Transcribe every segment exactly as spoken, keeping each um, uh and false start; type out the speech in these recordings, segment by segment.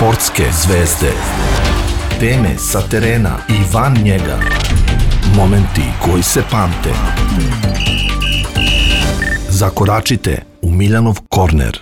Sportske zvezde. Teme sa terena i van njega. Momenti koji se pamte. Zakoračite u Miljanov korner.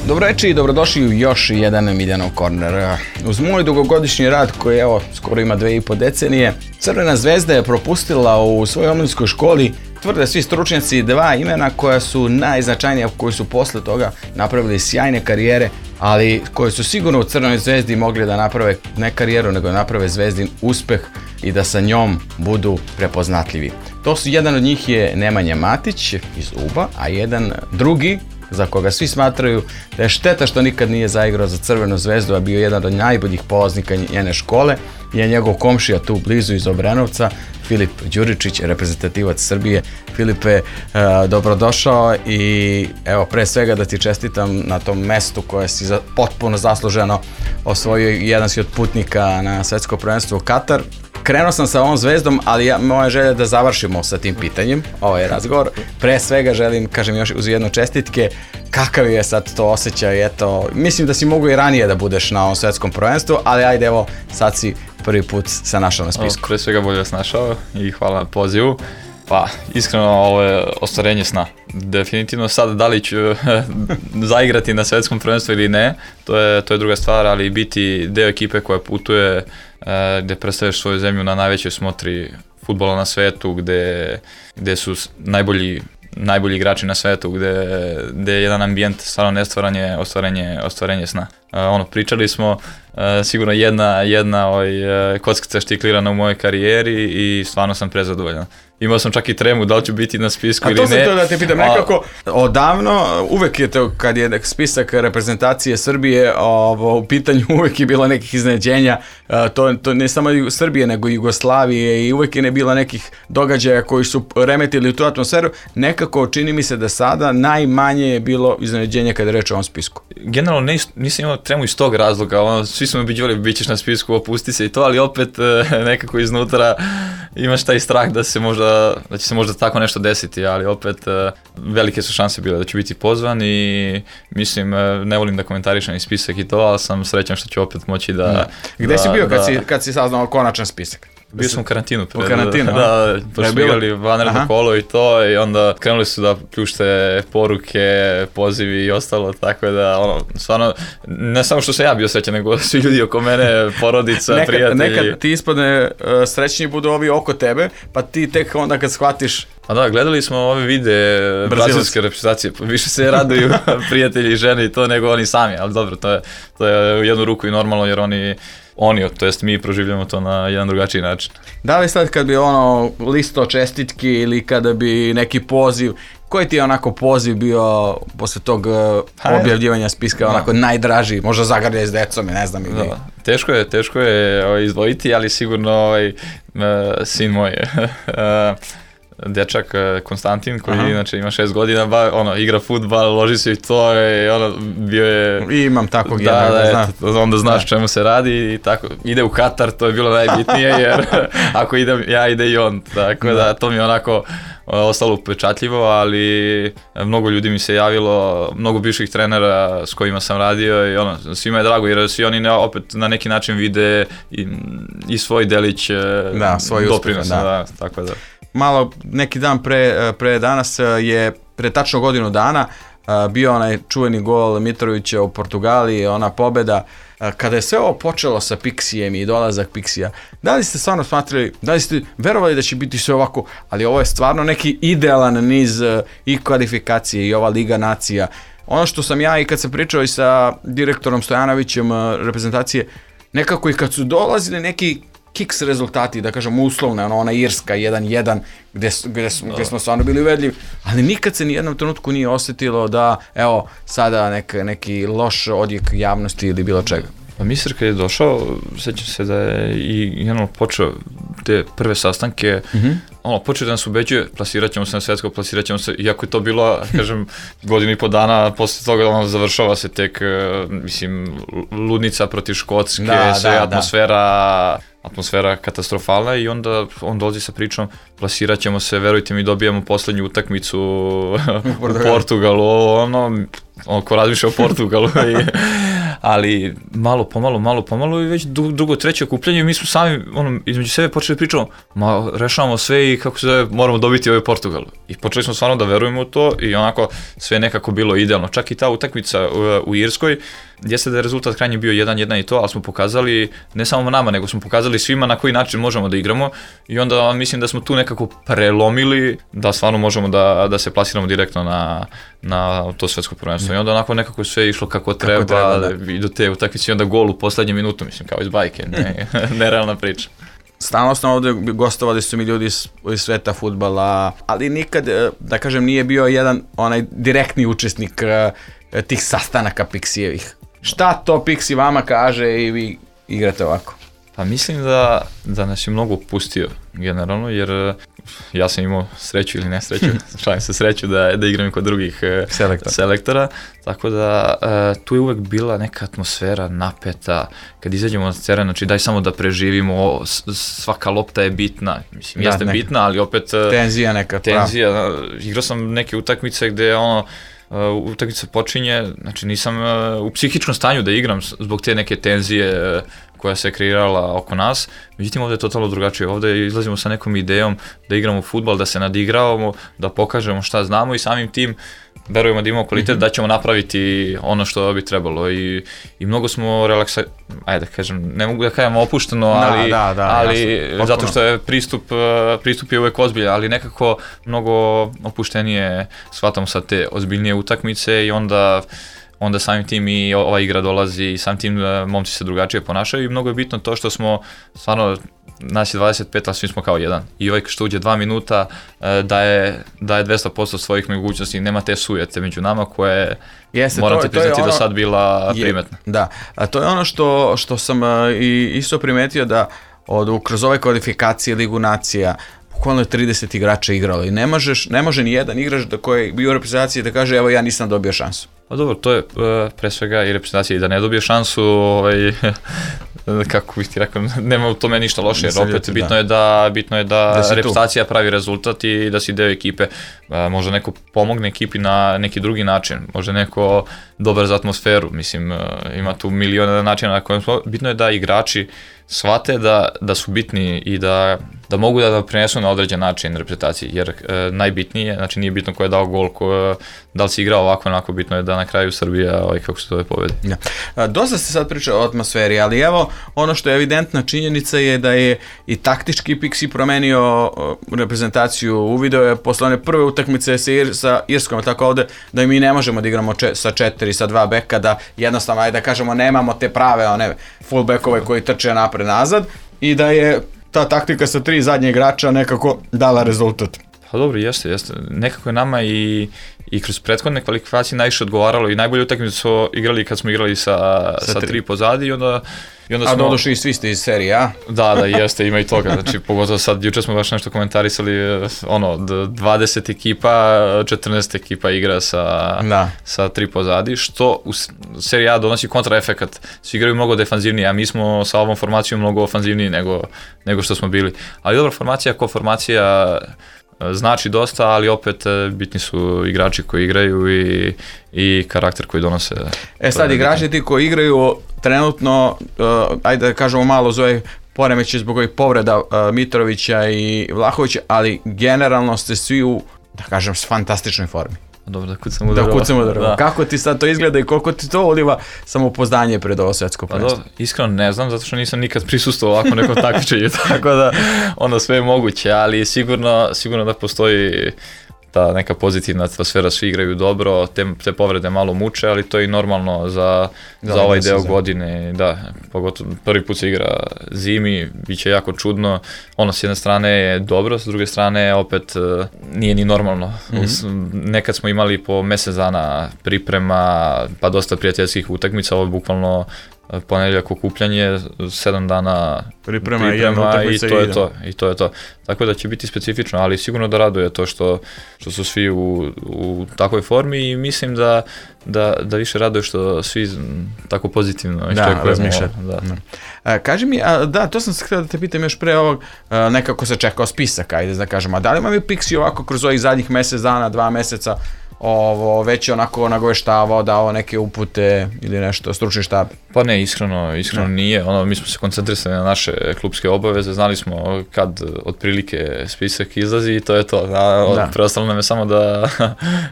Dobroveče i dobrodošli u još jedan Miljanov korner. Uz moj dugogodišnji rad koji evo skoro ima dve i po decenije, Crvena zvezda je propustila u svojoj omladinskoj školi, tvrde svi stručnjaci, dva imena koja su najznačajnija, koji su posle toga napravili sjajne karijere, ali koje su sigurno u Crvenoj zvezdi mogli da naprave ne karijeru, nego da naprave zvezdin uspeh i da sa njom budu prepoznatljivi. To su, jedan od njih je Nemanja Matić iz Uba, a jedan drugi, za koga svi smatraju da je šteta što nikad nije zaigrao za Crvenu zvezdu, a bio jedan od najboljih polaznika njene škole, je njegov komšija tu blizu iz Obrenovca, Filip Đuričić, reprezentativac Srbije. Filipe, dobrodošao i evo pre svega da ti čestitam na tom mestu koje si potpuno zasluženo osvojio, jedan si od putnika na svetsko prvenstvo u Katar. Krenuo sam sa ovom zvezdom, ali ja, moja želja je da završimo sa tim pitanjem, ovaj razgovor. Pre svega želim, kažem još uz jedno čestitke, kakav je sad to osjećaj, eto, mislim da si mogu i ranije da budeš na ovom svetskom prvenstvu, ali ajde evo, sad si prvi put se našao na spisku. O, pre svega bolje vas našao i hvala na pozivu. Pa, iskreno, ovo je ostvarenje sna. Definitivno sad da li ću zaigrati na svetskom prvenstvu ili ne, to je, to je druga stvar, ali biti deo ekipe koja putuje, eh, gde predstavljaš svoju zemlju na najvećoj smotri fudbala na svetu, gde, gde su najbolji najbolji igrači na svetu, gde, gde je jedan ambijent stvarno nestvaranje, ostvarenje, ostvarenje sna. Uh, ono, pričali smo, uh, sigurno jedna, jedna ovaj, uh, kockica štiklirana u mojoj karijeri i stvarno sam prezadovoljan. Imao sam čak i tremu da li ću biti na spisku ili ne. A to sam to da te pitam, nekako odavno, uvek je to kad je spisak reprezentacije Srbije ovo, u pitanju, uvek je bilo nekih iznenađenja, to, to ne samo Srbije nego i Jugoslavije i uvek je ne bilo nekih događaja koji su remetili u tu atmosferu. Nekako čini mi se da sada najmanje je bilo iznenađenja kada je reč o ovom spisku. Generalno nis, nisam imao tremu iz tog razloga, ono, svi smo obiđivali bit ćeš na spisku, opusti se i to, ali opet nekako iznutra imaš taj strah da se možda da će se možda tako nešto desiti, ali opet velike su šanse bile da ću biti pozvan i mislim, ne volim da komentarišem i spisak i to, ali sam srećan što ću opet moći da... da Gde da, si bio kad, da, si, kad si saznao konačan spisak? Bio sam u karantinu. Pred, u karantinu, da, pošto smo igrali vanredno kolo i to i onda krenuli su da pljušte poruke, pozivi i ostalo, tako da ono, stvarno, ne samo što sam ja bio srećan, nego svi ljudi oko mene, porodica, nekad, prijatelji. Nekad ti ispadne uh, srećni budu ovi oko tebe, pa ti tek onda kad shvatiš. A da, gledali smo ove videe brazilske reprezentacije, više se raduju prijatelji i žene i to nego oni sami, ali dobro, to je, to je u jednu ruku i normalno jer oni Oni, to jest mi proživljamo to na jedan drugačiji način. Da li sad kad bi ono listo čestitki ili kada bi neki poziv, koji ti je onako poziv bio posle tog objavljivanja spiska, onako da. Najdraži, možda zagrljaj s decom, ne znam. Ili... Da. Teško je, teško je ovaj, izdvojiti, ali sigurno ovaj, sin moj dečak Konstantin koji Aha. inače ima šest godina, ba, ono, igra fudbal, loži se i to i ono, bio je... I imam takvog da, jednog, da, znam. Eto, onda znaš da. Čemu se radi i tako, ide u Katar, to je bilo najbitnije jer ako idem ja, ide i on, tako da, da to mi je onako ostalo upečatljivo, ali mnogo ljudi mi se javilo, mnogo bivših trenera s kojima sam radio i ono, svima je drago jer svi oni opet na neki način vide i, i svoj delić da, svoj doprinosa, uspeh, da. Da, tako da. Malo neki dan pre, pre danas je, pre tačno godinu dana, bio onaj čuveni gol Mitrovića u Portugaliji, ona pobeda. Kada je sve ovo počelo sa Pixijem i dolazak Pixija, da li ste stvarno smatrali, da li ste verovali da će biti sve ovako, ali ovo je stvarno neki idealan niz i kvalifikacije i ova Liga nacija. Ono što sam ja i kad sam pričao i sa direktorom Stojanovićem reprezentacije, nekako i kad su dolazili neki kiks rezultati, da kažem uslovne, ono, ona Irska jedan jedan, gde, gde, gde smo stvarno bili uvedljivi, ali nikad se ni jednom trenutku nije osjetilo da, evo, sada nek, neki loš odjek javnosti ili bilo čega. Pa Misir kad je došao, sjećam se da je i jedno počeo te prve sastanke, mm-hmm. ono, počeo da nas ubeđuje, plasirat ćemo se na svetsko, plasirat ćemo se, iako je to bilo, kažem, godinu i po dana, posle toga ono, završava se tek, mislim, ludnica protiv Škotske, da, sve da, atmosfera, da. atmosfera katastrofalna i onda on dolazi sa pričom, plasirat ćemo se, verujte mi, dobijamo poslednju utakmicu u Portugalu, ono, on ko razmišlja o Portugalu i ali malo pomalo, malo pomalo i već drugo, treće okupljanje mi smo sami ono, između sebe počeli pričamo, ma rešavamo sve i kako se zove, moramo dobiti ovaj Portugal. I počeli smo stvarno da verujemo u to i onako sve nekako bilo idealno. Čak i ta utakmica u, u Irskoj, jeste da je rezultat krajnje bio jedan jedan i to, ali smo pokazali, ne samo nama, nego smo pokazali svima na koji način možemo da igramo i onda mislim da smo tu nekako prelomili da stvarno možemo da, da se plasiramo direktno na, na to svetsko prvenstvo. I onda onako nekako sve išlo kako treba, kako treba da. I do te utakmice i onda gol u poslednju minutu, mislim, kao iz bajke, ne, nerealna priča. Stalno smo ovde gostovali su mi ljudi iz, iz sveta fudbala, ali nikad, da kažem, nije bio jedan onaj direktni učesnik uh, tih sastanaka Pixijevih. Šta to Pixi vama kaže i vi igrate ovako? Pa mislim da, da nas je mnogo pustio generalno, jer ja sam imao sreću ili nesreću, šalim se sreću da, da igram i kod drugih Selektor. selektora, tako da uh, tu je uvek bila neka atmosfera napeta, kad izađemo na teren, znači daj samo da preživimo, svaka lopta je bitna, mislim da, jeste neka. bitna, ali opet... Tenzija neka. Tenzija, da, igrao sam neke utakmice gde ono, Uh, utakmica počinje, znači nisam uh, u psihičkom stanju da igram zbog te neke tenzije uh, koja se kreirala oko nas, međutim ovdje je totalno drugačije, ovdje izlazimo sa nekom idejom da igramo fudbal, da se nadigravamo, da pokažemo šta znamo i samim tim verujemo da imamo kvalitet, mm-hmm. da ćemo napraviti ono što bi trebalo i, i mnogo smo relaksa, ajde da kažem, ne mogu da kažem opušteno, ali, da, da, da, ali jasno, zato što je pristup, pristup je uvek ozbiljan, ali nekako mnogo opuštenije shvatamo sa te ozbiljnije utakmice i onda onda samim tim i ova igra dolazi i samim tim momci se drugačije ponašaju i mnogo je bitno to što smo stvarno, nas je dvadeset pet, a svi smo kao jedan. I ovaj što uđe dva minuta daje, daje dvesta posto svojih mogućnosti, nema te sujete među nama koje Jeste, moram ti priznati ono, da sad bila je, primetna. Da, a to je ono što, što sam i isto primetio da od, kroz ove kvalifikacije Ligu nacija bukvalno je trideset igrača igralo i ne, možeš, ne može ni jedan igrač da koji je bio u reprezentaciji da kaže evo ja nisam dobio šansu. Pa dobro, to je uh, pre svega i reprezentacija i da ne dobije šansu, ovaj, kako bih ti rekao, nema u tome ništa loše, jer opet bitno da. je da, bitno je da, da reprezentacija tu. pravi rezultat i da si deo ekipe. Uh, možda neko pomogne ekipi na neki drugi način, možda neko dobar za atmosferu, mislim, uh, ima tu miliona načina na kojem smo, bitno je da igrači shvate da, da su bitni i da, da mogu da prinesu na određen način reprezentaciji, jer e, najbitnije, znači nije bitno ko je dao gol, ko, da li si igrao ovako, onako, bitno je da na kraju Srbija, ovaj, kako se to je pobedi. Ja. A, dosta se sad priča o atmosferi, ali evo, ono što je evidentna činjenica je da je i taktički Pixi promenio reprezentaciju, uvideo je posle one prve utakmice sa, Ir, sa Irskom, tako ovde, da mi ne možemo da igramo če, sa četiri, sa dva beka, da jednostavno, ajde da kažemo, nemamo te prave one fullbackove koji trče napred nazad i da je ta taktika sa tri zadnje igrača nekako dala rezultat. Pa dobro, jeste, jeste. Nekako je nama i, i kroz prethodne kvalifikacije najviše odgovaralo i najbolje utakmice su igrali kad smo igrali sa, sa, sa tri. tri pozadi i onda... I onda a smo... doduše i svi ste iz serije, a? Da, da, jeste, ima i toga. Znači, pogotovo sad, juče smo baš nešto komentarisali, ono, dvadeset ekipa, četrnaest ekipa igra sa, da. sa tri pozadi, što u seriji A donosi kontraefekat. Svi igraju mnogo defanzivnije, a mi smo sa ovom formacijom mnogo ofanzivniji nego, nego što smo bili. Ali dobra formacija, ko formacija znači dosta, ali opet bitni su igrači koji igraju i, i karakter koji donose. E sad, igrači ti koji igraju trenutno, uh, ajde da kažemo malo zove poremeće zbog ovih povreda uh, Mitrovića i Vlahovića, ali generalno ste svi u, da kažem, fantastičnoj formi. Dobro, da kucam u drvo. Da kucam u drvo. Kako ti sad to izgleda i koliko ti to uliva samopouzdanje pred ovo svetsko prvenstvo? Pa iskreno ne znam, zato što nisam nikad prisustvovao ovako nekom takmičenju, tako da ono sve je moguće, ali sigurno, sigurno da postoji ta neka pozitivna atmosfera, svi igraju dobro, te, te povrede malo muče, ali to je i normalno za, za, za ovaj deo godine, da, pogotovo prvi put se igra zimi, bit će jako čudno, ono s jedne strane je dobro, s druge strane opet nije ni normalno, mm-hmm. nekad smo imali po mesec dana priprema, pa dosta prijateljskih utakmica, ovo je bukvalno ponedjeljak okupljanje, sedam dana priprema, priprema i, i to je to, i to je to. Tako da će biti specifično, ali sigurno da raduje to što, što su svi u, u takvoj formi i mislim da, da, da više raduje što svi tako pozitivno iščekujemo. Da, da. A, kaži mi, a, da, to sam se htio da te pitam još pre ovog, a, nekako se čekao spisak, ajde da kažem, a da li imam i Pixi ovako kroz ovih zadnjih mesec dana, dva meseca, ovo, već je onako nagoveštavao, dao neke upute ili nešto, stručni štab? Pa ne, iskreno, iskreno nije. Ono, mi smo se koncentrisali na naše klubske obaveze, znali smo kad otprilike spisak izlazi i to je to. Da, preostalo nam je samo da,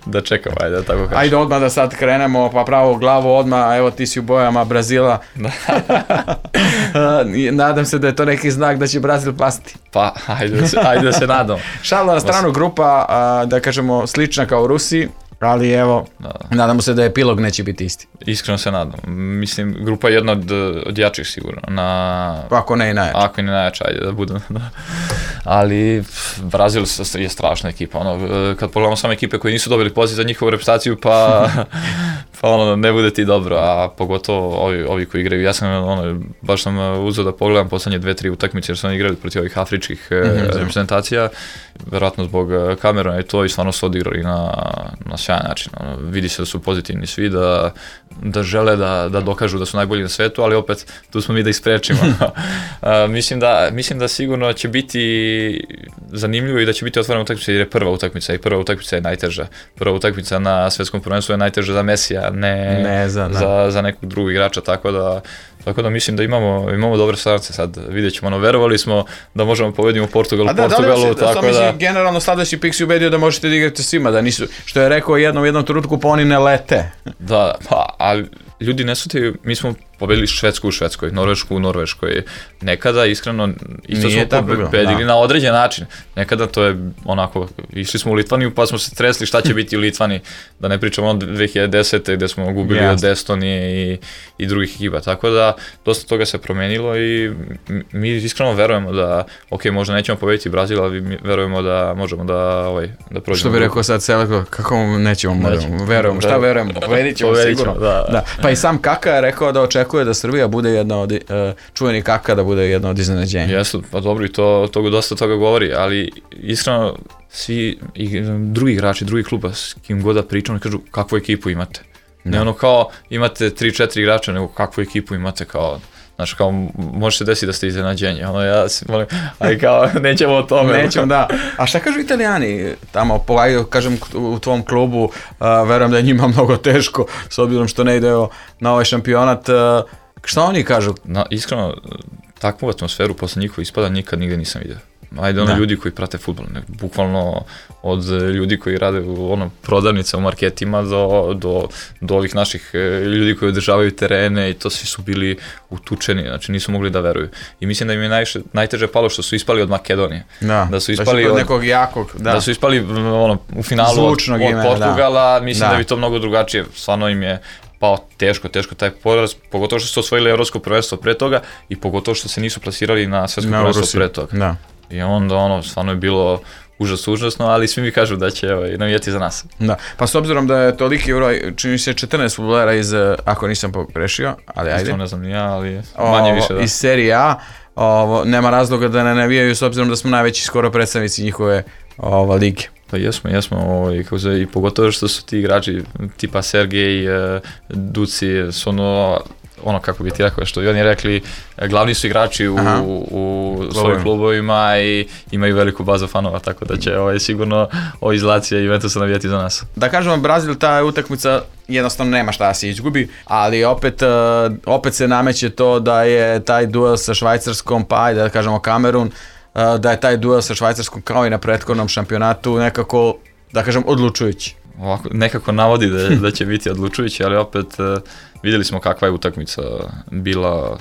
da čekamo, ajde, da tako kažem. Ajde odmah da sad krenemo, pa pravo glavu odmah, evo ti si u bojama Brazila. Nadam se da je to neki znak da će Brazil pasti. Pa, ajde da se, ajde da se nadam. Šalno na stranu, grupa, da kažemo, slična kao u Rusiji, ali evo, da. Nadamo se da epilog neće biti isti. Iskreno se nadam. Mislim, grupa je jedna od, od jačih sigurno. Na... Ako ne i najjača. Ako i ne najjača, ajde da budem. Ali Brazil je strašna ekipa. Ono, kad pogledamo samo ekipe koje nisu dobili poziv za njihovu reputaciju, pa, pa ono, ne bude ti dobro. A pogotovo ovi, ovi koji igraju. Ja sam, ono, baš sam uzeo da pogledam poslednje dve, tri utakmice jer su oni igrali protiv ovih afričkih mm-hmm. reprezentacija. Verovatno zbog Kameruna i to i stvarno su odigrali na, na sjajan način. Ono, vidi se da su pozitivni svi, da, da žele da, da dokažu da su najbolji na svetu, ali opet tu smo mi da ih sprečimo. uh, mislim, da, mislim da sigurno će biti zanimljivo i da će biti otvorena utakmica jer je prva utakmica i prva utakmica je najteža. Prva utakmica na svetskom prvenstvu je najteža za Mesija, ne, ne za, za, za nekog drugog igrača, tako da Tako da mislim da imamo, imamo dobre strance sad, vidjet ćemo, ono, verovali smo da možemo pobediti u Portugalu, da, Portugalu, da li tako da... Mislim, generalno sledeći pik si ubedio da možete da igrate svima, da nisu, što je rekao jednom, jednom trenutku, pa oni ne lete. Da, pa, ali ljudi ne shvataju, mi smo pobedili Švedsku u Švedskoj, Norvešku u Norveškoj, nekada, iskreno, isto smo pobedili na određen način, nekada to je onako, išli smo u Litvaniju pa smo se tresli šta će biti u Litvani, da ne pričamo od dve hiljade desete gde smo gubili yes. od Estonije i, i drugih ekipa, tako da dosta toga se promenilo i mi iskreno verujemo da, ok, možda nećemo pobediti Brazil, ali mi verujemo da možemo da, ovaj, da prođemo. Što bi rekao sad Seleko, kako nećemo, možemo, verujemo, šta verujemo, pobedit ćemo sigurno. Da. Da. Pa i sam Kaka je rekao da očekuje da Srbija bude jedna od, uh, čuveni Kaka da bude jedna od iznenađenja. Jesu, pa dobro i to, to dosta toga govori, ali iskreno svi i, drugi igrači, drugi kluba s kim god da pričamo, kažu kakvu ekipu imate. Ne ono kao imate tri četiri igrača, nego kakvu ekipu imate kao, znaš, kao može se desiti da ste iznenađenje, ono ja si molim, ali kao nećemo o tome. Nećemo, da. A šta kažu Italijani tamo, pogledaj, kažem u tvom klubu, uh, verujem da je njima mnogo teško, s obzirom što ne ide na ovaj šampionat, uh, šta oni kažu? Na, iskreno, takvu atmosferu posle njihovog ispada nikad nigde nisam vidio. Ajde, ono da. Ljudi koji prate fudbal, bukvalno od ljudi koji rade u ono, prodavnice u marketima do, do, do ovih naših ljudi koji održavaju terene i to svi su bili utučeni, znači nisu mogli da veruju. I mislim da im je najviše, najteže palo što su ispali od Makedonije. Da, da su ispali od, od nekog jakog, da. Da su ispali ono, u finalu od, od ime, Portugala, da. Mislim da. Da bi to mnogo drugačije, stvarno im je pao teško, teško taj poraz, pogotovo što su osvojili evropsko prvenstvo pre toga i pogotovo što se nisu plasirali na svetsko prvenstvo pre toga. Da. I onda ono, stvarno je bilo užas, užasno, ali svi mi kažu da će ovaj, navijati za nas. Da, pa s obzirom da je toliki broj, čini se četrnaest fudbalera iz, ako nisam pogrešio, ali ajde. Isto ne znam ni ja, ali manje o, više da. Iz serije A, ovo, nema razloga da ne navijaju s obzirom da smo najveći skoro predstavnici njihove ova, lige. Pa jesmo, jesmo, ovaj, kako se, i pogotovo što su ti igrači tipa Sergej, Duci, su ono, ono kako bi ti rekao, što i oni rekli, glavni su igrači u, u svojim klubovima i imaju veliku bazu fanova, tako da će ovaj, sigurno ovo izlacija i Juventusa navijati za nas. Da kažemo, Brazil, ta utakmica jednostavno nema šta da se izgubi, ali opet, opet se nameće to da je taj duel sa Švajcarskom, pa ajde da kažemo Kamerun, da je taj duel sa Švajcarskom kao i na prethodnom šampionatu nekako, da kažem, odlučujući. Ovako, nekako navodi da, da će biti odlučujući, ali opet vidjeli smo kakva je utakmica bila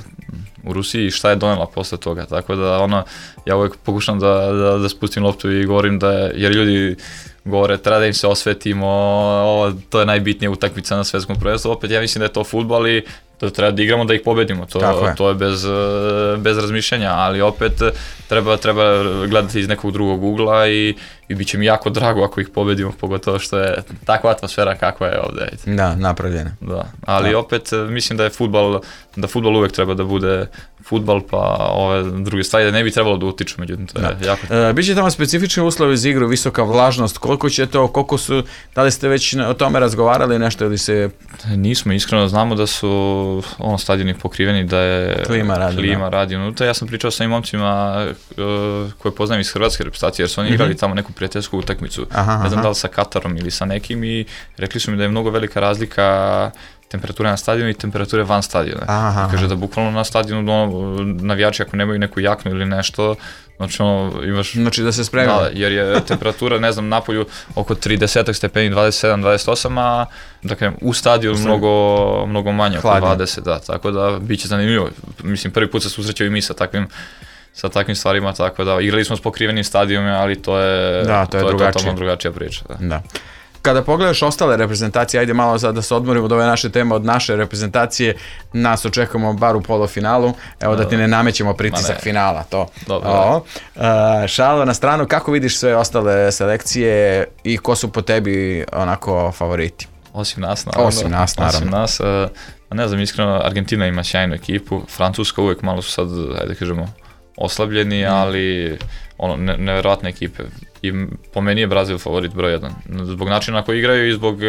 u Rusiji i šta je donela posle toga, tako da ono, ja uvijek pokušam da, da, da spustim loptu i govorim da je, jer ljudi govore treba da im se osvetimo, ovo, to je najbitnija utakmica na svetskom prvenstvu, opet ja mislim da je to fudbal i to treba da igramo da ih pobedimo, to je, to je bez, bez razmišljanja, ali opet treba, treba gledati iz nekog drugog ugla i, i bit će mi jako drago ako ih pobedimo, pogotovo što je takva atmosfera kakva je ovdje. Da, napravljena. Da, ali da. Opet mislim da je fudbal, da fudbal uvek treba da bude fudbal pa ove druge stvari da ne bi trebalo da utiču, međutim to je da. jako... E, biće tamo specifični uslovi za igru, visoka vlažnost, koliko će to, koliko su, da li ste već o tome razgovarali nešto ili se... Nismo, iskreno znamo da su ono stadioni pokriveni, da je klima radi, klima radi unutra. Ja sam pričao sa ovim momcima uh, koje poznajem iz hrvatske reprezentacije jer su oni mm-hmm. igrali tamo neku prijateljsku utakmicu, aha, ne znam aha. da li sa Katarom ili sa nekim i rekli su mi da je mnogo velika razlika temperature na stadionu i temperature van stadiona. Aha, kaže da bukvalno na stadionu ono, navijači ako nemaju neku jaknu ili nešto, znači ono imaš... Znači da se spremi. Da, jer je temperatura, ne znam, napolju oko trideset stepeni, dvadeset sedam dvadeset osam, a da kažem, u stadionu mnogo, mnogo manje, oko dvadeset, da, tako da bit će zanimljivo. Mislim, prvi put se susrećao i mi sa takvim sa takvim stvarima, tako da igrali smo s pokrivenim stadionima, ali to je, da, to je, to je drugačije. totalno drugačija priča. Da. Da. Kada pogledaš ostale reprezentacije, ajde malo sad da se odmorimo od ove naše teme, od naše reprezentacije, nas očekujemo bar u polufinalu, evo da ti ne namećemo pritisak ne. finala, to. Dobro. O, uh, šalo na stranu, kako vidiš sve ostale selekcije i ko su po tebi onako favoriti? Osim nas, naravno. Osim nas, naravno. Osim nas, uh, ne znam, iskreno, Argentina ima sjajnu ekipu, Francuska uvijek malo su sad, ajde kažemo, oslabljeni, mm. ali ono, ne, nevjerojatne ekipe. I po meni je Brazil favorit broj jedan. Zbog načina na koji igraju i zbog uh,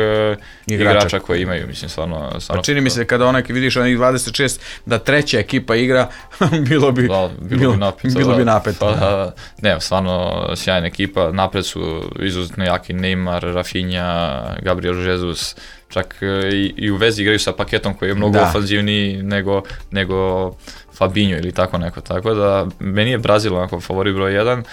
igrača. igrača koje imaju, mislim, stvarno... stvarno pa čini mi se kada onaj vidiš onih dvadeset šest da treća ekipa igra, bilo bi... Da, bilo, bilo bi napeto. Bilo bi napeto. Pa, da. Ne, stvarno sjajna ekipa, napred su izuzetno jaki Neymar, Rafinha, Gabriel Jesus, čak i, i u vezi igraju sa paketom koji je mnogo da. ofanzivniji nego, nego Fabinho ili tako neko, tako da meni je Brazil onako favorit broj jedan,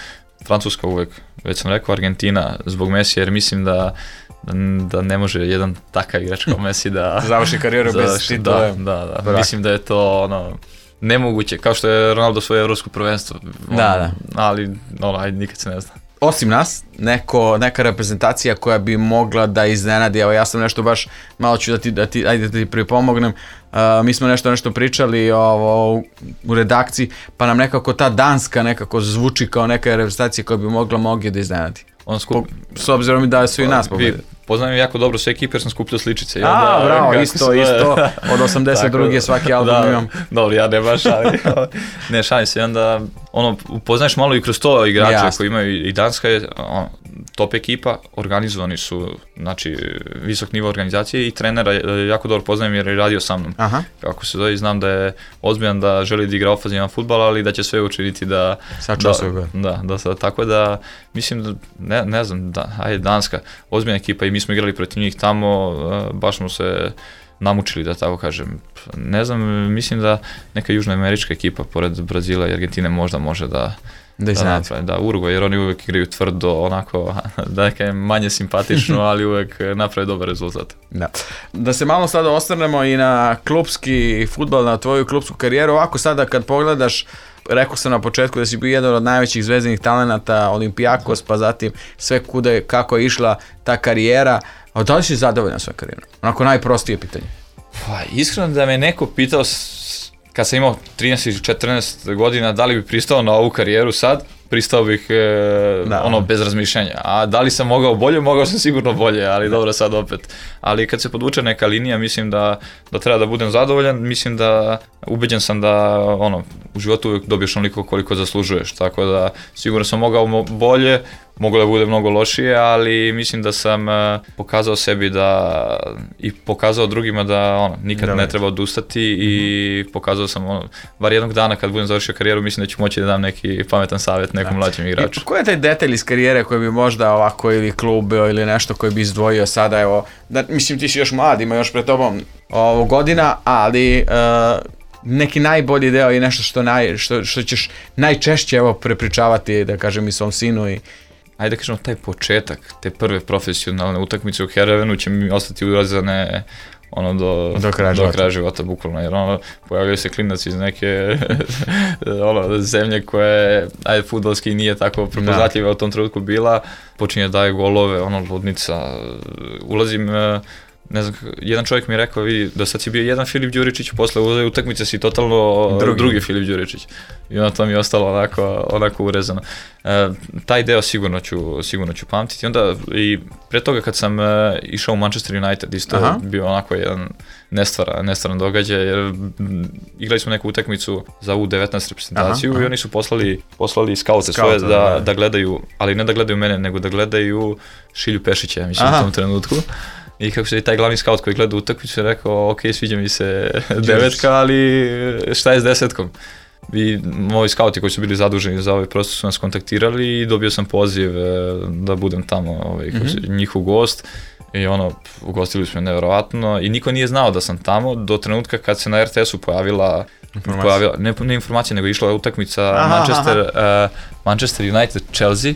Francuska uvek, već sam rekao Argentina zbog Messi jer mislim da, da, da ne može jedan takav igrač kao Messi da završi karijeru bez titula. Da, da, da. Mislim da je to ono nemoguće, kao što je Ronaldo svoje evropsko prvenstvo, ono, da, da. ali ono, ajde, nikad se ne zna. Osim nas, neko, neka reprezentacija koja bi mogla da iznenadi, evo ja sam nešto baš, malo ću da ti, da ti, ajde da ti pripomognem, uh, mi smo nešto nešto pričali ovo, u redakciji, pa nam nekako ta Danska nekako zvuči kao neka reprezentacija koja bi mogla mogli da iznenadi. On skup... S obzirom da su i nas pobedili. Poznajem jako dobro sve ekipe jer sam skupljao sličice. A, da, bravo, isto, isto, od osamdeset druge svaki album da, imam. Dobro, ja ne baš, ali ne šalim se, onda ono, upoznaješ malo i kroz to igrače Jasne. koji imaju i Danska je ono, top ekipa, organizovani su, znači visok nivo organizacije i trenera jako dobro poznajem jer je radio sa mnom. Aha. Kako se zove, znam da je ozbiljan, da želi da igra ofanzivan fudbal, ali da će sve učiniti da... Sačuva svoj gol. Da, da, da, tako da mislim da, ne, ne znam, da, ajde Danska, ozbiljna ekipa i mi smo igrali protiv njih tamo, baš smo se namučili, da tako kažem. Ne znam, mislim da neka južnoamerička ekipa pored Brazila i Argentine možda može da da iznenadi. Da, da, Uruguay, jer oni uvek igraju tvrdo, onako, da neka manje simpatično, ali uvek naprave dobar rezultat. Da. Da se malo sada osvrnemo i na klupski fudbal, na tvoju klupsku karijeru. Ovako sada kad pogledaš, rekao sam na početku da si bio jedan od najvećih zvezdanih talenata, Olimpijakos, pa zatim sve kuda kako je išla ta karijera. A da li si zadovoljan svojom karijerom? Onako najprostije pitanje. Pa, iskreno da me neko pitao kad sam imao trinaest ili četrnaest godina da li bi pristao na ovu karijeru sad, pristao bih e, ono bez razmišljanja. A da li sam mogao bolje? Mogao sam sigurno bolje, ali da. dobro sad opet. Ali kad se podvuče neka linija, mislim da, da treba da budem zadovoljan, mislim da ubeđen sam da ono, u životu uvijek dobiješ onoliko koliko zaslužuješ, tako da sigurno sam mogao bolje, moglo da bude mnogo lošije, ali mislim da sam uh, pokazao sebi da i pokazao drugima da ono, nikad da, ne treba odustati mm-hmm. i pokazao sam ono, bar jednog dana kad budem završio karijeru, mislim da ću moći da dam neki pametan savjet nekom da. mlađem igraču. I koji je taj detalj iz karijere koji bi možda ovako ili klub ili nešto koji bi izdvojio sada, evo, da, mislim ti si još mlad, ima još pred tobom ovo, godina, ali uh, neki najbolji deo i nešto što, naj, što, što ćeš najčešće evo prepričavati, da kažem, i svom sinu i ajde da kažemo, taj početak, te prve profesionalne utakmice u Herevenu će mi ostati urezane ono do, do kraja do života. života, bukvalno, jer ono, pojavljaju se klinac iz neke ono, zemlje koje, ajde, fudbalski nije tako prepoznatljiva u tom trenutku bila, počinje daje golove, ono, ludnica, ulazim ne znam, jedan čovjek mi je rekao, vidi, do sad si bio jedan Filip Đuričić, posle u utakmice si totalno drugi, drugi Filip Đuričić. I onda to mi je ostalo onako, onako urezano. E, taj deo sigurno ću, sigurno ću pamtiti. Onda i pre toga kad sam e, išao u Manchester United, isto je bio onako jedan nestvara, nestvaran događaj, jer m, igrali smo neku utakmicu za U devetnaest reprezentaciju. Aha, aha. I oni su poslali, poslali skaute svoje da, da, da gledaju, ali ne da gledaju mene, nego da gledaju Šilju Pešića, mislim, aha. u tom trenutku. I kako se i taj glavni scout koji gleda utakmicu je rekao, ok, sviđa mi se devetka, ali šta je s desetkom? I moji skauti koji su bili zaduženi za ovaj prostor su nas kontaktirali i dobio sam poziv da budem tamo ovaj, kako se, njihov gost. I ono, ugostili su me nevjerovatno i niko nije znao da sam tamo do trenutka kad se na R T S-u pojavila, pojavila ne, ne informacija, nego išla utakmica aha, Manchester, aha. Uh, Manchester United Chelsea.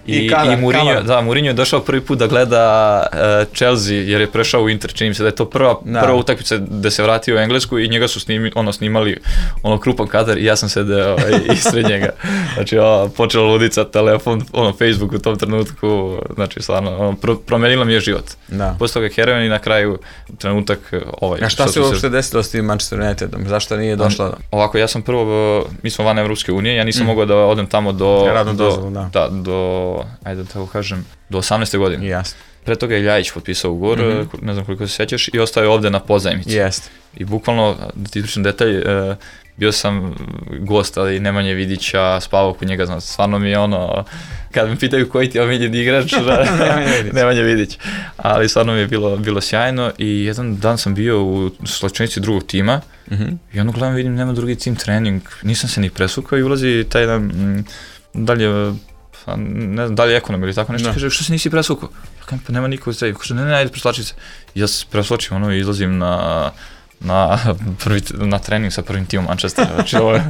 I, I, kada, i Mourinho, da, Mourinho je došao prvi put da gleda uh, Chelsea jer je prešao u Inter, čini mi se da je to prva, prva utakmica gde se vratio u Englesku i njega su snimi, ono, snimali ono krupan kadar i ja sam sedeo ispred njega. Znači, o, počela ludica, telefon, ono, Facebook u tom trenutku, znači, stvarno, ono, pro, promenila mi je život. Da. Posle toga heroin i na kraju trenutak ovaj. A šta se uopšte se... desilo s tim Manchester Unitedom? Zašto nije došla? Ovako, ja sam prvo, mi smo van Evropske unije, ja nisam mm. mogao da odem tamo do... Radno do, dozvolu, da. Da, do ajde da tako kažem, do osamnaeste godine. Jasno. Pre toga je Ljajić potpisao ugovor, mm-hmm. ne znam koliko se sjećaš, i ostao je ovde na pozajmici. Jeste. I bukvalno, da ti pričam detalj, e, bio sam gost, ali Nemanje Vidića, spavao kod njega, znam, stvarno mi je ono, kad me pitaju koji ti je omiljeni igrač, Nemanje Vidić. Ali stvarno mi je bilo, bilo sjajno i jedan dan sam bio u slačenici drugog tima mm-hmm. i ono gledam, vidim, nema drugi tim trening, nisam se ni presukao i ulazi taj jedan, m, dalje, ne znam, da li je ekonom ili tako nešto, no. Kaže, što se nisi presvukao? Ja kažem, pa nema niko u strebi. Kaže, ne, ne, ajde, preslači se. Ja se presločim, ono, i izlazim na, na, prvi, na trening sa prvim timom Manchestera. Znači, ovo je,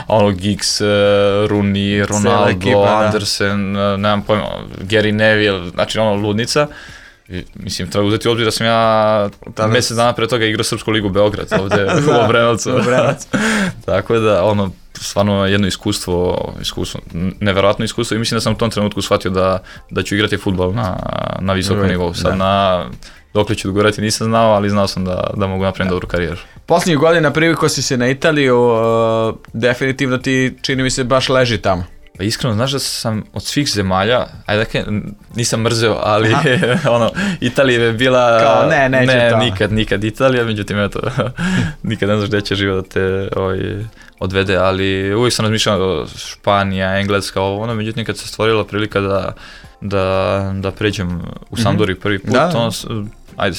ono, Giggs, Rooney, Ronaldo, ekipa, Andersen, da. Nemam pojma, Gary Neville, znači, ono, ludnica. I, mislim, treba uzeti obzir da sam ja mjesec dana pre toga igrao Srpsku ligu Beograd, ovde u Obrenovcu. Tako da, ono, stvarno jedno iskustvo, iskustvo, neverovatno iskustvo i mislim da sam u tom trenutku shvatio da, da ću igrati fudbal na, na visokom nivou. Sad da. Na dokle ću dogurati nisam znao, ali znao sam da, da mogu napraviti dobru karijeru. Posljednjih godina priviko si se na Italiju, uh, definitivno ti čini mi se baš leži tamo. Pa iskreno, znaš da sam od svih zemalja, ajde dakle, nisam mrzeo, ali ono, Italija je bila, kao, ne, neće ne, to. nikad, nikad Italija, međutim, eto, nikad ne znaš gdje će život da te ovaj, odvede, ali uvijek sam razmišljao Španija, Engleska, ovo, ono, međutim, kad se stvorila prilika da, da, da pređem u Sampdoriju prvi put, da. ono, ajde,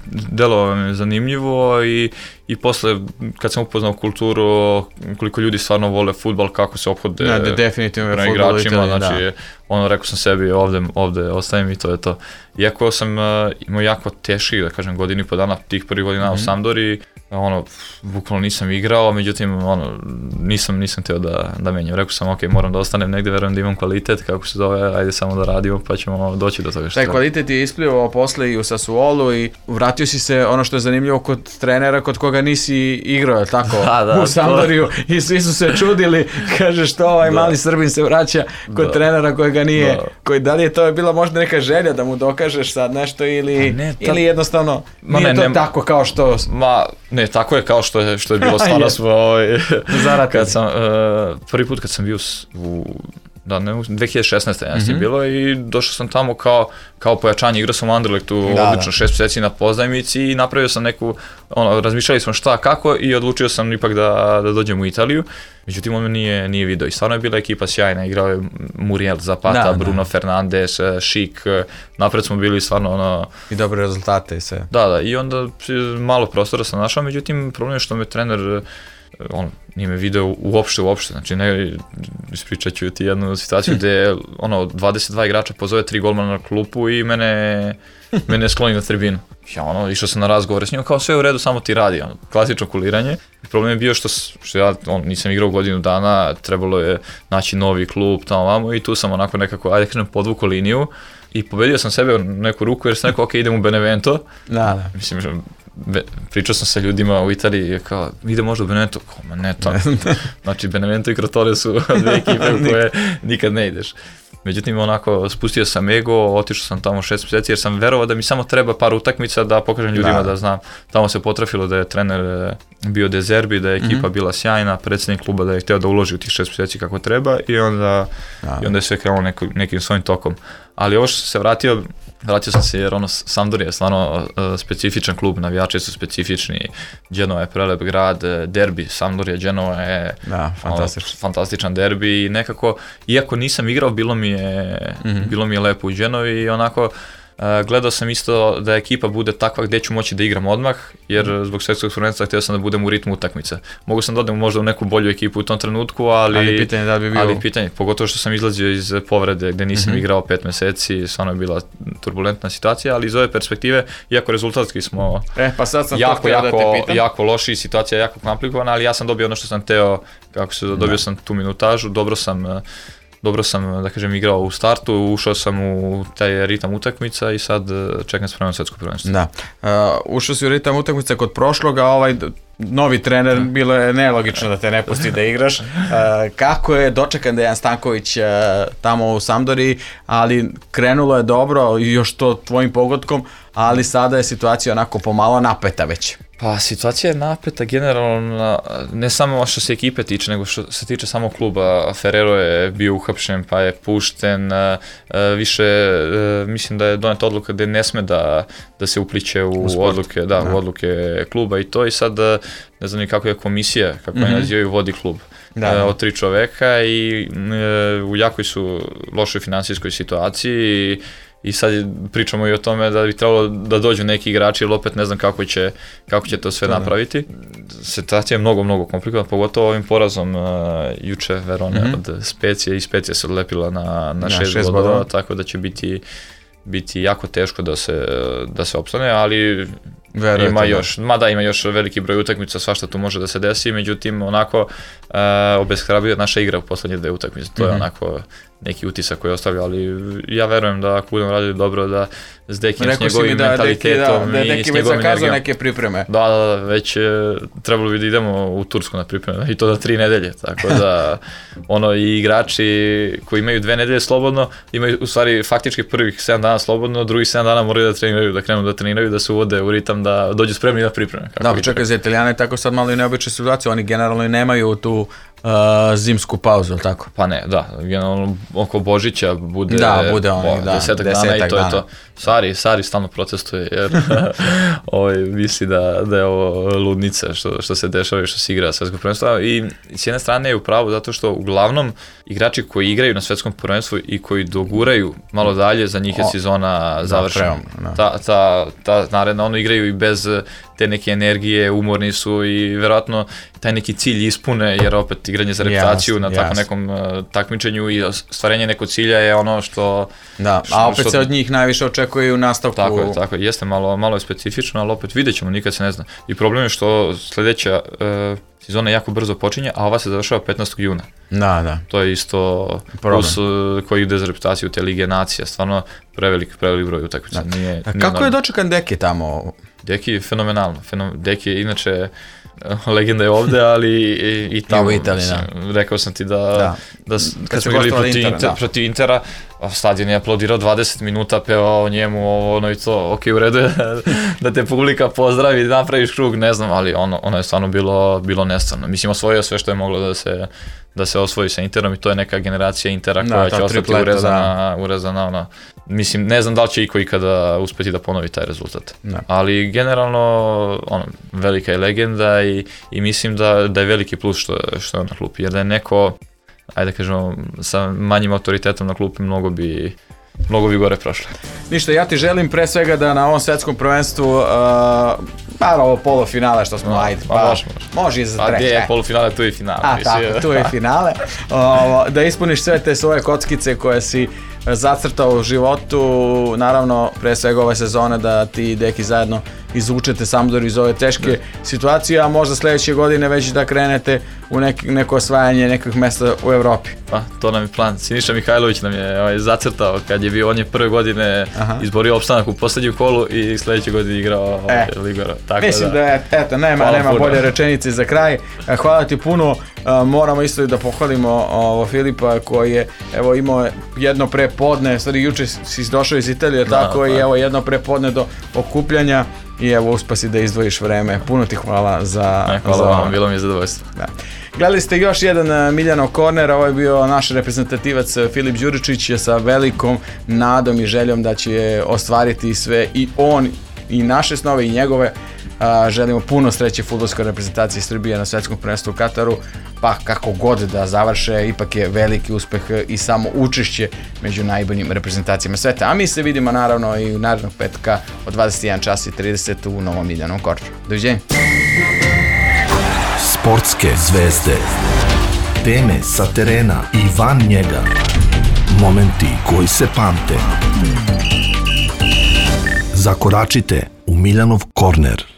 delo mi je zanimljivo i, i posle kad sam upoznao kulturu, koliko ljudi stvarno vole fudbal, kako se ophode ja, definitivno na igračima, znači da. Ono rekao sam sebi ovde, ovde ostavim i to je to. Iako sam uh, imao jako teških, da kažem, godinu i po dana, tih prvih godina mm-hmm. u Sampdoriji, ono, bukvalno nisam igrao, međutim, ono, nisam, nisam teo da, da menjam. Rekao sam, ok, moram da ostanem negde, verujem da imam kvalitet, kako se zove, ajde samo da radimo, pa ćemo doći do toga što taj treba. Kvalitet je isplivao posle i u Sassuolu i vratio si se, ono što je zanimljivo, kod trenera kod koga nisi igrao, je tako, da, da, u Sampdoriju i svi su se čudili, kaže što ovaj da. Mali Srbin se vraća kod da. Trenera kojega nije, da. Koji, da li je to bila možda neka želja da mu dokažeš sad nešto ili, ne, ta... ili jednostavno ma nije ne, to ne, tako kao što... Ma, ne, tako je kao što je, što je bilo stvarno smo ovaj, kad sam, uh, prvi put kad sam bio u da, ne, dve hiljade šesnaeste mm-hmm. je bilo i došao sam tamo kao, kao pojačanje, igrao sam u Anderlechtu da, odlično da. šest mjeseci na pozajmici i napravio sam neku, ono, razmišljali smo šta, kako i odlučio sam ipak da, da dođem u Italiju. Međutim, on me nije, nije video i stvarno je bila ekipa sjajna, igrao je Muriel, Zapata, da, Bruno da. Fernandes, Šik, napred smo bili stvarno ono... I dobre rezultate i sve. Da, da, i onda malo prostora sam našao, međutim, problem je što me trener, on nije me video uopšte, uopšte, znači ne, ispričat ću ti jednu situaciju gde ono, dvadeset dva igrača pozove tri golmana na klupu i mene, mene skloni na tribinu. Ja ono, išao sam na razgovore s njim, kao sve u redu, samo ti radi, ono, klasično kuliranje. Problem je bio što, što ja on, nisam igrao godinu dana, trebalo je naći novi klub tamo vamo i tu sam onako nekako, ajde kažem, podvukao liniju i pobedio sam sebe u neku ruku jer sam rekao, ok, idem u Benevento. Da, da. Mislim, Be, pričao sam sa ljudima u Italiji, kao, ide možda u Benevento, kao, ma ne to, znači Benevento i Crotone su dve ekipe u koje nikad ne ideš. Međutim, onako, spustio sam ego, otišao sam tamo šest mjeseci jer sam verovao da mi samo treba par utakmica da pokažem ljudima da, da znam. Tamo se potrafilo da je trener bio De Zerbi, da je ekipa mm-hmm. bila sjajna, predsjednik kluba da je htio da uloži u tih šest mjeseci kako treba i onda, i onda je sve krenulo neko, nekim svojim tokom. Ali ovo što sam se vratio, vratio sam se jer ono, Sampdoria je stvarno uh, specifičan klub, navijači su specifični, Genova je prelep grad, derbi, Sampdoria, Genova je da, fantastičan. Ono, fantastičan derbi i nekako, iako nisam igrao, bilo mi je, mm-hmm. bilo mi je lepo u Genovi i onako, Uh, gledao sam isto da ekipa bude takva gdje ću moći da igram odmah, jer mm. zbog svjetskog prvenstva htio sam da budem u ritmu utakmice. Mogu sam da odem možda u neku bolju ekipu u tom trenutku, ali, ali pitanje da bi bio... ali pitanje, pogotovo što sam izlazio iz povrede gdje nisam mm-hmm. igrao pet mjeseci, stvarno je bila turbulentna situacija, ali iz ove perspektive, iako rezultatski smo e, pa sad sam jako, jako, da te pitam. jako loši, situacija je jako komplikovana, ali ja sam dobio ono što sam teo, kako se dobio da. sam tu minutažu, dobro sam Dobro sam, da kažem, igrao u startu, ušao sam u taj ritam utakmica i sad čekam spremno svjetsko prvenstvo. Da, uh, ušao si u ritam utakmica kod prošloga, ovaj novi trener, bilo je nelogično da te ne pusti da igraš. Uh, kako je dočekan Dejan Stanković uh, tamo u Sampdoriji, ali krenulo je dobro i još to tvojim pogodkom, ali sada je situacija onako pomalo napeta već. Pa situacija je napeta generalno, ne samo što se ekipe tiče, nego što se tiče samog kluba. Ferrero je bio uhapšen pa je pušten, više mislim da je doneta odluka da ne sme da, da se upliče u, u odluke, da, da. u odluke kluba i to i sad ne znam ni kako je komisija, kako mm-hmm. je nazivaju, vodi klub. Da, da. Od tri čoveka i u jakoj su lošoj financijskoj situaciji i I sad pričamo i o tome da bi trebalo da dođu neki igrači, ali opet ne znam kako će, kako će to sve da, napraviti. Situacija je mnogo, mnogo komplikovana, pogotovo ovim porazom uh, juče Verone mm-hmm. od Specije i Specija se odlepila na, na šest, šest bodova, bodova, tako da će biti, biti jako teško da se, da se opstane, ali Verujete, ima još, mada ima još veliki broj utakmica, svašta tu može da se desi, međutim onako uh, obeshrabljuje naša igra u poslednje dve utakmice, to mm-hmm. je onako neki utisak koji je ostavio, ali ja verujem da ako budemo radili dobro, da s Dekijem, s njegovim da, mentalitetom da, da, da, i s njegovim energijom. Neke pripreme. Da, da, već trebalo bi da idemo u Tursku na pripreme i to da tri nedelje, tako da ono i igrači koji imaju dve nedelje slobodno, imaju u stvari faktički prvih sedam dana slobodno, drugih sedam dana moraju da treniraju, da krenu da treniraju, da se uvode u ritam, da dođu spremni na pripreme. Da, čekaj, za Italijane tako sad malo i neobična situacija, oni generalno i nemaju tu Uh, zimsku pauzu, tako? Pa ne, da, generalno oko Božića bude, da, bude oni, da, desetak, desetak dana i to dana. je to. Sari, Sari stalno protestuje jer ovaj, misli da, da je ovo ludnica što, što se dešava i što se igra svjetsko prvenstvo. I s jedne strane je u pravu zato što uglavnom igrači koji igraju na svjetskom prvenstvu i koji doguraju malo dalje, za njih je sezona završena. Ta, ta, ta naredna, ono igraju i bez te neke energije, umorni su i vjerojatno taj neki cilj ispune, jer opet igranje za reputaciju yes, na tako yes. nekom uh, takmičenju i stvarenje nekog cilja je ono što... Da, što, a opet što, se od njih najviše očekuje u nastavku... Tako je, tako je, jeste malo, malo je specifično, ali opet vidjet ćemo, nikad se ne zna. I problem je što sljedeća uh, sezona jako brzo počinje, a ova se završava petnaestog juna. Da, da. To je isto plus uh, koji ide za reputaciju te Lige nacija, stvarno prevelik, prevelik broj utakmica. Nije, nije kako normalno. Je dočekan Deki tamo? Deki je fenomenalno, Fenom, Deki je inače legenda je ovde, ali i, i tamo, I u Italiji, mislim, rekao sam ti da, da. da, da kad smo igrali protiv, Inter, Inter, protiv Intera, stadion je aplaudirao dvadeset minuta, pevao njemu, ono i to, ok, u redu je da te publika pozdravi, napraviš krug, ne znam, ali ono, ono je stvarno bilo, bilo nestvarno. Mislim, osvojio sve što je moglo da se, da se osvoji sa Interom i to je neka generacija Intera koja da, će ostati tripleta, urezana, urezana ona. Mislim, ne znam da li će iko ikada uspeti da ponovi taj rezultat. Da. Ali generalno, ono, velika je legenda i, i mislim da, da je veliki plus što, što je na klupi. Jer da je neko, ajde da kažemo, sa manjim autoritetom na klupi mnogo bi, mnogo bi gore prošlo. Ništa, ja ti želim pre svega da na ovom svetskom prvenstvu, uh, pa ovo polufinale što smo, no, ajde, pa, može, može. može i za treće. Pa gdje je polufinale, tu je finale. A, mislim. tako, tu je finale. Uh, da ispuniš sve te svoje kockice koje si zacrtao u životu, naravno pre svega ove sezone da ti i Deki zajedno izvučete Sampdoriju iz ove teške da. situacije, a možda sljedeće godine već da krenete u neki, neko osvajanje nekih mjesta u Evropi. Pa, to nam je plan. Siniša Mihajlović nam je ovaj, zacrtao kad je bio, on je prve godine Aha. izborio opstanak u posljednjem kolu i sljedeće godine igrao e, Ligora. Tako mislim da, da je, eto, nema, nema bolje rečenice za kraj. Hvala ti puno moramo isto i da pohvalimo ovo, Filipa koji je evo imao jedno prepodne, stvari juče si došao iz Italije, da, tako pa. I evo jedno prepodne do okupljanja i evo uspio si da izdvojiš vreme. Puno ti hvala za... Ne, hvala za... vam, bilo mi je zadovoljstvo. Da. Gledali ste još jedan Miljanov korner, ovo je bio naš reprezentativac Filip Đuričić sa velikom nadom i željom da će ostvariti sve i on i naše snove i njegove. A, želimo puno sreće fudbalskoj reprezentaciji Srbije na svetskom prvenstvu u Kataru, pa kako god da završe, ipak je veliki uspeh i samo učešće među najboljim reprezentacijama sveta. A mi se vidimo naravno i u narednog petka od dvadeset jedan čas i trideset u novom Miljanovom korneru. Doviđenja. Sportske zvezde, teme sa terena i van njega, momenti koji se pamte. Zakoračite u Miljanov korner.